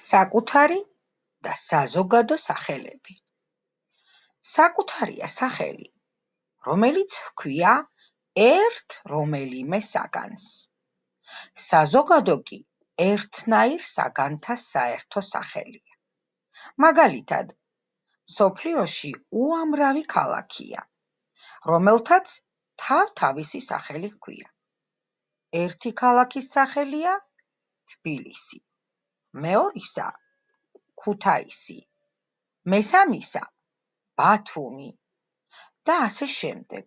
საკუთარი და საზოგადო სახელები. საკუთარია სახელი, რომელიც ჰქვია ერთ რომელიმე საგანს. საზოგადო კი ერთნაირ საგანთა საერთო სახელია. მაგალითად, მსოფლიოში უამრავი ქალაქია, რომელთაც თავთავისი სახელი ჰქვია. ერთი ქალაქის სახელია თბილისი, მეორისა ქუთაისი, მესამისა ბათუმი და ასე შემდეგ.